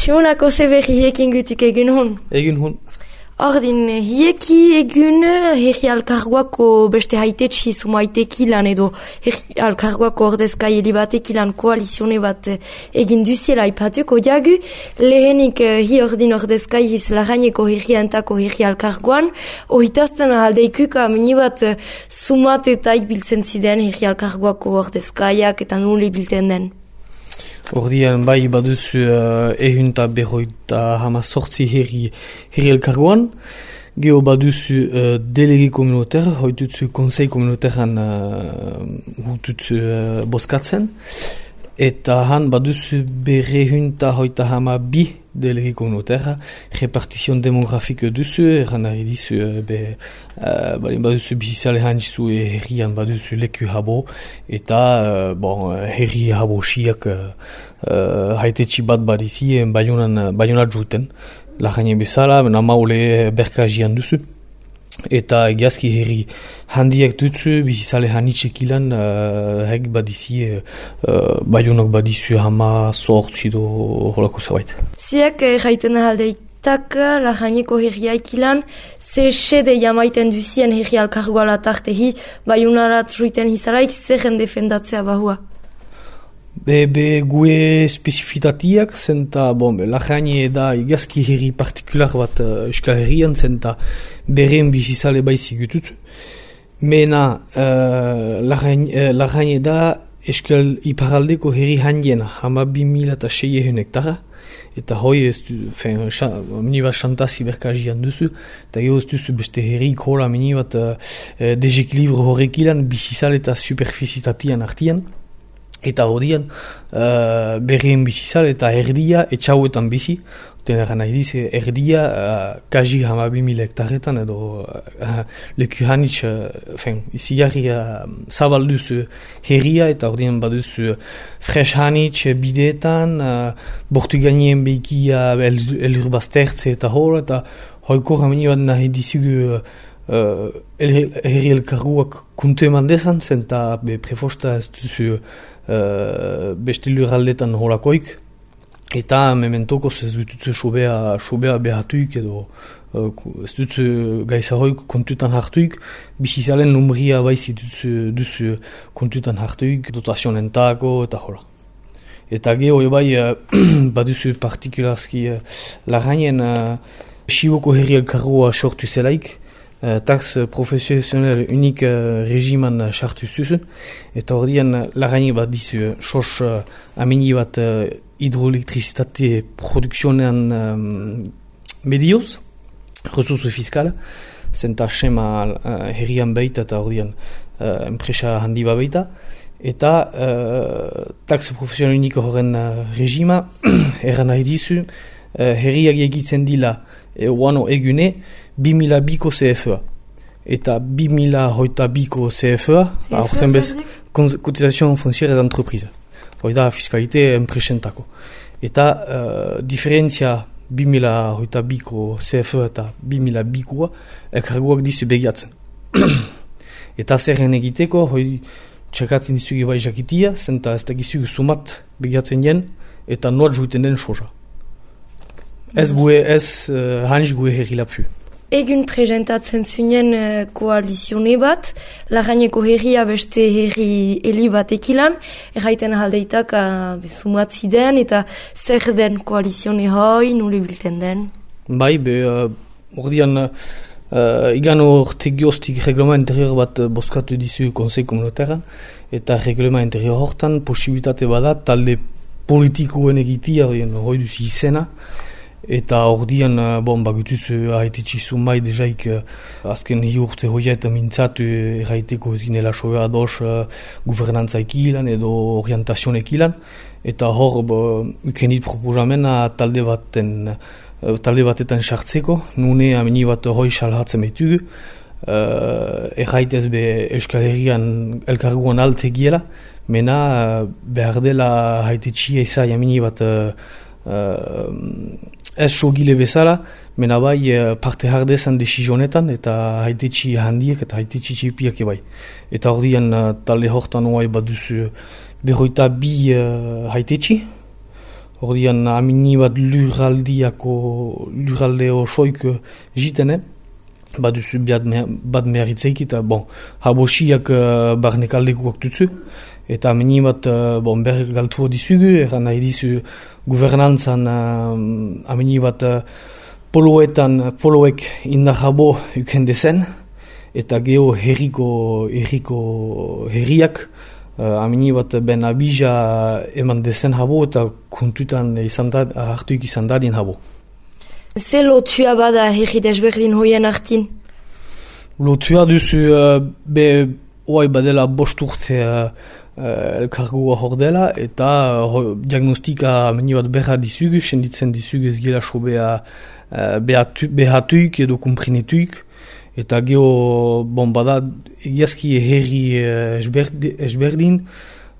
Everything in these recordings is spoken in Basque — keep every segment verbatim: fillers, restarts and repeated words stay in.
Simonako ze berri hiekin gutuk egun hon? Egun hon. Ordin, hieki egun herri alkarguako beste haitetsi sumaitekilan edo herri alkarguako ordezkai elibatekilan koalizione bat egin duziela ipatuko jagu. Lehenik hi ordin ordezkai hiz lagaineko herri antako herri alkarguan. Ohitazten aldeikuka minibat sumat eta ikbiltzen ziren herri alkarguako ordezkaiak eta nule bilten den. Ordian bai baduzu uh, ehunta berroita hama sortzi herri, herri elkargoan. Geo baduzu uh, delege komunoter, hoitutzu konsei komunoteran uh, hututzu uh, boskatzen. Eta han baduzu berrehunta hoita hama bi delege komunotera, repartizion demografiko duzu, eran nahi dizu, be, uh, baduzu bizizale handizu herrian baduzu leku habo, eta uh, bon, herri habo siak uh, uh, haitetsi bat badizi, baionan, baionat juten, lagane bezala, namaule berkajian duzu. Eta egiazki herri handiak dutzu, bizizale hanitxek ilan, uh, hek badizi, uh, baionok badizu hama sortzi do holako zabait. Ziak erraiten ahaldeitak laganeko herriaik ilan, ze sede jamaiten duzien herri alkargoala tartehi, baionarat ruiten hizaraik zerren defendatzea bahua. Be, be gue spezifitatiak zenta, bon, lagane da igazki herri partikular bat uh, euskal herrian zenta beren bizizale baizik gutut. Mena uh, lagane da euskal iparaldeko herri handiena, hama bi mila eta sei hektara, eta hoi ez du, fen, minibat xantazi berkajian duzu, eta geho ez duzu beste herri krola minibat uh, desekilibro horrek ilan bizizale eta superfizitatian artian. Eta horian, uh, berrien bizizal eta erdia etxauetan bizi. Oten eran nahi diz, erdia uh, kaji hamabi mila hektarretan edo uh, leku hanitz, uh, fen, izi jarri uh, zabalduz uh, herria eta horian baduz uh, fresh hanitz bideetan, uh, bortu gainien behikia elur baztertze eta hor, eta hoiko rameni bat nahi dizugu uh, herri elkarguak kuntu eman dezan, zenta be prefosta ez duzu Uh, beste lurraldetan holakoik, eta mementoko ez dututze sobea, sobea behatuik edo uh, ez dutze gaizahoik kontutan hartuik, bizizalen numria baizi dutze, dutze kontutan hartuik, dotazionentako eta hola. Eta geho ebai uh, baduzu partikularski uh, lagainen uh, Siboko herri elkargoa sortu zelaik, Uh, tax profesional unik uh, regiman sartu uh, zuzu, eta ordian uh, lagaini bat dizu sos uh, amini bat uh, hidroelektrizitate produkzionean um, medioz, resursu fiskala, zenta sema uh, herrian baita eta ordian uh, enpresa handi bat baita, eta uh, tax profesional unik horren uh, regima, erran nahi dizu, uh, herriak egitzen dila e, wano egune, bi mila biko C F A. Eta bi mila hoita biko C F A, aurten bez, cotisation foncière d'entreprise. Hoi da fiskalite enpresentako. Eta uh, diferentzia bi mila hoita biko C F A eta bi mila bikoa elkarguak dizu begiatzen. Eta zerren egiteko, hoi txekatzen dizugi bai jakitia, zenta ez da gizugu sumat begiatzen jen, eta noat juiten den soja. Ez gue, ez uh, hanitz gue herri lapfu. Egun presentatzen zuen uh, koalizione bat, lagaineko herria beste herri heli batekilan, erraiten ahaldeitak uh, sumatzi den eta zer den koalizione hoi, nule bilten den? Bai, be, uh, ordian, uh, igan orte gioztik reglema interior bat uh, boskatu dizu konsei komunoteran, eta reglema interior hortan posibilitate bada talde politikoen egitia, hoi duzi izena, eta ordian, bon, bagutuz haititxizu mai dejaik azken hi urte hoia eta mintzatu erraiteko ez ginela sobea dos guvernantzaik ilan edo orientazionek ilan, eta hor ukenit proposamena talde baten talde batetan sartzeko, nune amini bat hoi salhatzen behitugu, uh, erraitez be Euskal Herrian elkarguan altegiela, mena behar dela haititxia izai amini bat uh, ez sogile bezala, mena bai parte hardezan desizionetan eta haitetxi handiek eta haitetxi txipiak ebai. Eta ordian talde hortan oai baduzu berroita bi uh, haitetxi, Ordian amini bat lurraldiako, lurralde osoik jitene, bat duzu bat meharitzeik, eta bon, habosiak uh, barnekaldekuak dutzu, eta amini bat uh, bon, ber galtu dizugu, eran nahi dizu guvernantzan uh, amini bat uh, poloetan, poloek indar habo ukendezen, eta geho herriko, herriko herriak, Uh, amini bat ben abija eman dezen habo eta kuntutan izan hartuik izan dadin habo. Ze lotua bada herri desberdin hoien hartin? Lotua duzu uh, be oai badela bost urte uh, uh, elkargoa hor dela eta uh, diagnostika amini bat berra dizugu, senditzen dizugu ez gela sobea uh, behatuik edo kumprinetuik. Eta geho, bon, bada, egiazki herri esberdin,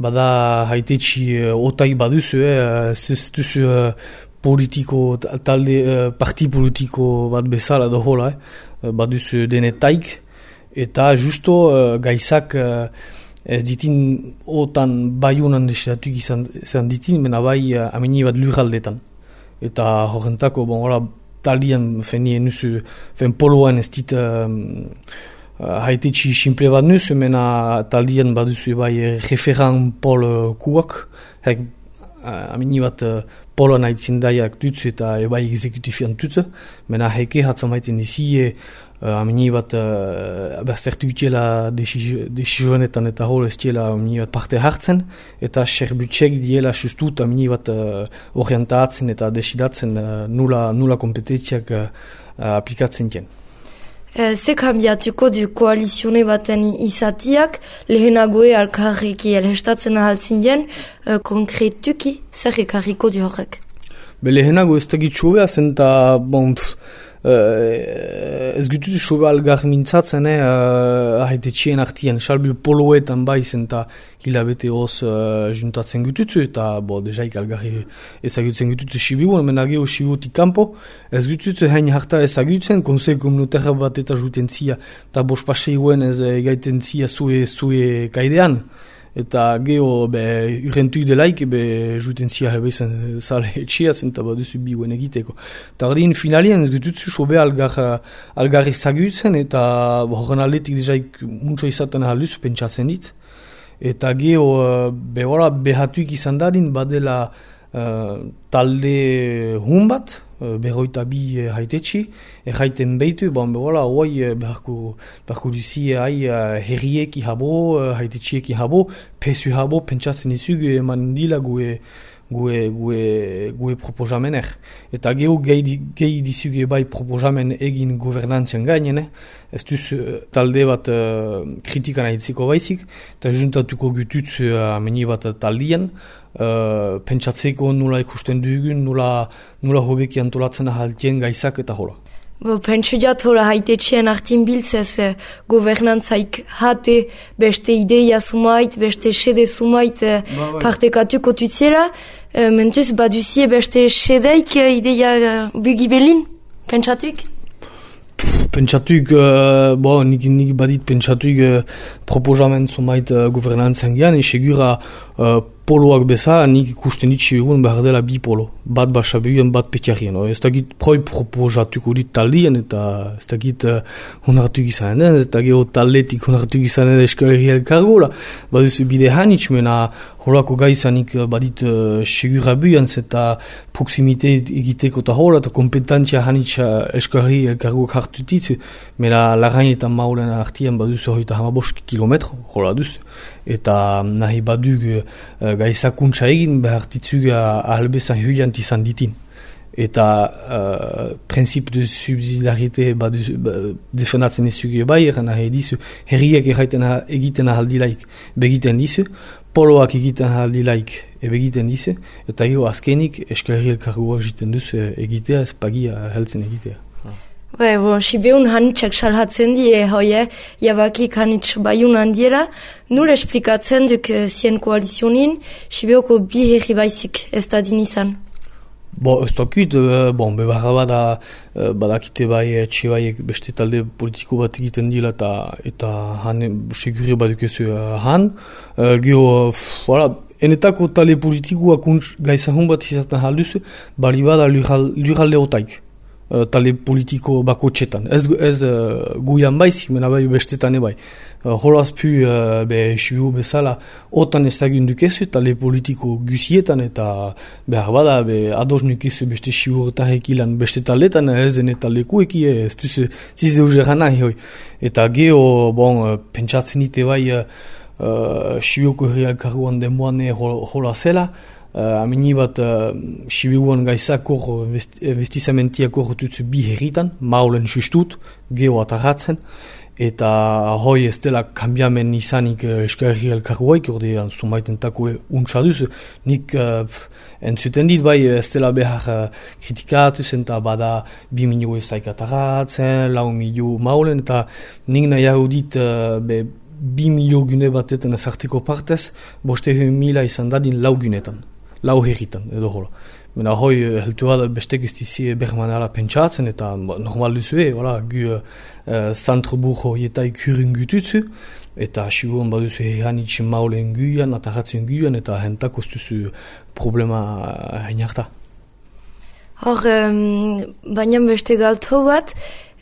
bada haitetxi otai baduzu, eh, ez duzu politiko, talde, parti politiko bat bezala da hola, eh, baduzu denetaik, eta justo gaizak ez ditin otan baiunan desiratuk izan, izan ditin, mena bai amini bat lurraldetan. Eta horrentako, bon, hola, taldian fenien nuzu, fen poloan ez dit uh, haitetxi simple bat nuzu, mena taldian baduzu bai referan pol kuak, hek uh, amini bat uh, poloan haitzin daiak dutzu eta bai exekutifian dutzu, mena heke hatzan maiten dizie, uh, amini bat uh, berstertu itxela desizionetan eta hol ez txela amini bat parte hartzen, eta serbutxek diela sustut amini bat uh, orientatzen eta desidatzen uh, nula, nula kompetentziak uh, aplikatzen jen. Ze kambiatuko du koalizione baten izatiak, lehenagoe alkarreki elhestatzen ahaltzin jen, uh, konkretuki zer ekarriko du horrek? Be lehenago ez tegit sobea zen eta bon, pff, Uh, ez gututu sobe algar mintzatzen, eh, uh, ahaitetxien artien, salbil poloetan baizen eta hilabete hoz uh, juntatzen gututu, eta bo, dejaik algarri ezagutzen gututu sibiuan, menageo sibiutik kanpo, ez gututu hain harta ezagutzen, konsei komunitaria bat eta juten zia, eta bos paseiguen ez egaiten zia zue, zue kaidean. Eta geho, be, urrentuik delaik, be, juten zia hebezan zale etxea zen, eta baduzu biuen egiteko. Eta hori finalien, ez gututzu sobe algar, algarri zagutzen, eta horren aldetik dejaik muntzo izaten ahalduz, pentsatzen dit. Eta geho, be, hola, behatuik izan dadin, badela uh, talde hun bat, berroita bi uh, haitetxi, erraiten behitu, bon, behola, hoi beharko, beharko duzi hai uh, herrieki habo, uh, haitetxieki habo, pesu habo, pentsatzen izugu eman dila gue, gue, gue, gue proposamener. Eta geho gehi, gehi dizugu bai proposamen egin governantzian gainen, ez duz uh, talde bat uh, kritikan haitziko baizik, eta juntatuko gututz uh, ameni bat taldian, Uh, pentsatzeko nula ikusten dugun, nula, nula hobeki antolatzen ahaltien gaizak eta hola. Bo, pentsu jat hola haitetxien hartin biltzez eh, governantzaik hate beste ideia sumait, beste sede sumait eh, ba, partekatuko tutziela, eh, mentuz baduzie beste sedeik eh, ideia eh, bugibelin, pentsatuik? Pentsatuik, uh, bo, nik, nik badit pentsatuik uh, proposamen sumait uh, governantzan gian, esegura uh, poloak bezala, nik ikusten ditxe egun behar dela bi polo. Bat basabeuen, bat petiarien. No? Ez dakit proi proposatuko dit taldien, eta ez dakit uh, honartuk izanen den, ez dakit taldetik honartuk izanen den eskoleri elkargola. Baduzu bide hanitz, mena holako gaizanik badit uh, segura buian, eta proximite egiteko eta hola, eta kompetentzia hanitz uh, eskoleri elkargoak hartutitzu, mena larainetan maulen artian baduzu hoita hamabost kilometro, hola duzu. Eta nahi badug uh, gaizakuntza egin behartitzug ahalbezan huiant izan ditin. Eta uh, prinsip de subsidiarite defendatzen izugu bai, eran nahi dizu, herriak egiten ahaldilaik begiten dizu, poloak egiten ahaldilaik ebegiten dizu, eta gero azkenik eskoleri elkargoak egiten duzu egitea, ez pagia heltzen egitea. Be, bo, sibeun hanitxak salhatzen die, hoie, jabakik hanitx baiun handiela, nul esplikatzen duk zien koalizionin, sibeoko bi herri baizik ez da din izan. Bo, ez dakit, bon, bebarra bada, badakite bai, etxe baiek beste talde politiko bat egiten dila eta, eta han, segure badukezu han. Gero, voilà, enetako tale politikoak gaizahun bat izaten halduzu, bari bada lurralde otaik. Uh, tale politiko bako txetan. Ez, ez uh, guian baizik, mena bai bestetan ebai. Uh, Horaz pu, uh, be, sibu bezala, otan ezagun dukezu, tale politiko gusietan, eta behar bada, be, ados nukezu beste siburtarek ilan beste taletan, ez eta lekueki, ez duzu, ziz deuz erana, hoi. Eta geho, bon, uh, pentsatzen ite bai, uh, uh, sibuko herriak karguan demoane hola zela, Uh, amini bat uh, sibiuan gaizakor vestizamentiak horretutzu bi herritan, maulen justut, geho atarratzen, eta hoi ez dela kambiamen izanik uh, eskarri elkarguaik, ordean sumaiten tako untsaduz, nik uh, entzuten dit bai ez dela behar uh, kritikatuz, eta bada bi milio ezaik atarratzen, lau milio maulen, eta nik nahiago dit uh, be, bi milio gune batetan ezarteko partez, boste mila izan dadin lau gunetan. Lau herritan, edo hola. Mena hoi, heltu bat bestek ez dizi bermanala pentsatzen, eta normal duzue, hola, gu uh, zantro burro jetaik hurren gututzu, eta sibuan baduzu herranitxe maulen guian, atarratzen guian, eta hentak ostuzu problema hainarta. Hor, um, baina beste galto bat,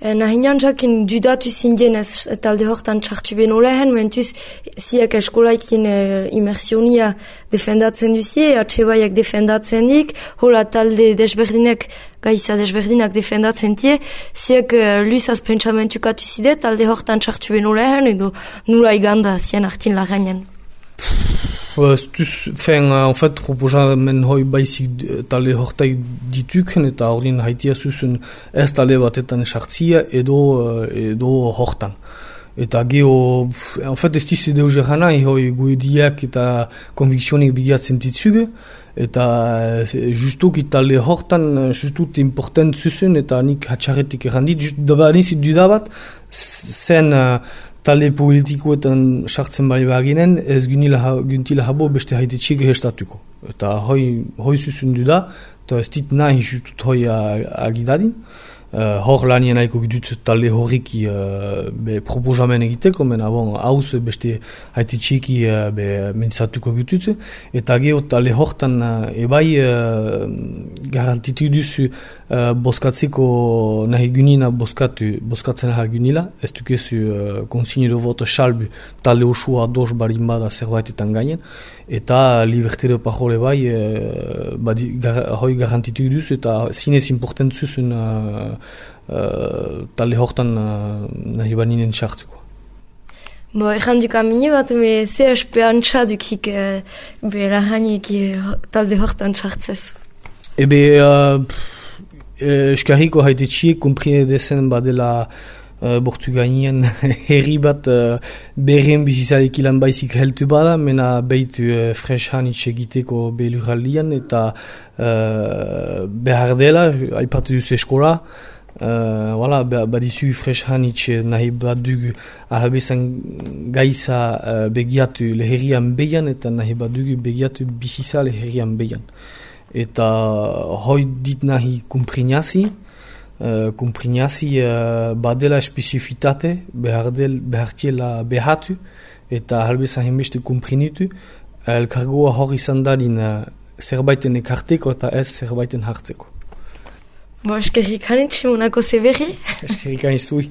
nahinan jakin dudatu zindien ez talde hortan txartu beno lehen, mentuz ziak eskolaikin uh, imersionia defendatzen duzie, atxebaiak defendatzen dik, hola talde desberdinek, gaiza desberdinak defendatzen tie, ziak uh, luizaz pentsamentukatu zide, talde hortan txartu beno lehen, edo nula iganda zien artin lagainen. Ez duz, fen, en fait, proposamen hoi baizik talde hortai dituken, eta horien haitia zuzun ez talde batetan esartzia edo, edo hortan. Eta geho, en fait, ez dizu deuz erranai, hoi guediak eta konvikzionik bigiatzen ditzuge, eta justuk talde hortan, justut important zuzun, eta nik hatxarretik errandit, just daba nizit dudabat, zen talde politikoetan sartzen bari baginen, ez güntila habo beste haite txik hestatuko. Eta hoi, hoi zuzun duda, eta ez dit nahi justut hoi agidadin. Uh, hor lanien aiko gidut talde horriki uh, be proposamen egiteko, mena bon, hauz beste haite txiki uh, be mentzatuko gidut. Eta geho talde hortan uh, ebai uh, garantitu duzu uh, boskatzeko nahi gunina boskatu, boskatzen nahi gunila, ez dukezu uh, konsignido voto salbu talde usua dos barin bada zerbaitetan gainen, eta libertere pajole bai uh, badi, gar, hoi garantitu duzu, eta zinez important zuzun uh, Uh, talde hortan uh, nahi baninen txartuko. Bo, erran duk amini bat, me ze espeantza dukik uh, be lahanik uh, talde hortan txartzez. Ebe, uh, eskarriko haite txiek, komprine dezen badela uh, bortu gainien herri bat uh, berren bizizalek ilan baizik heltu bada, mena behitu uh, fresh hanitz egiteko belurraldian, eta uh, behar dela, aipatu duzu eskola, Uh, voilà, badizu fresh hanitz nahi bat dugu ahabezan gaiza uh, begiatu leherian behian, eta nahi bat dugu begiatu biziza leherian behian. Eta hoi dit nahi kumprinazi, uh, kumprinazi uh, badela especifitate, behar del, behartiela behatu, eta ahabezan hembeste kumprinitu, elkargoa hor izan dadin uh, zerbaiten ekarteko eta ez zerbaiten hartzeko. Bo, eskerrik hanitz, monako zeberri. Eskerrik hanitz zui.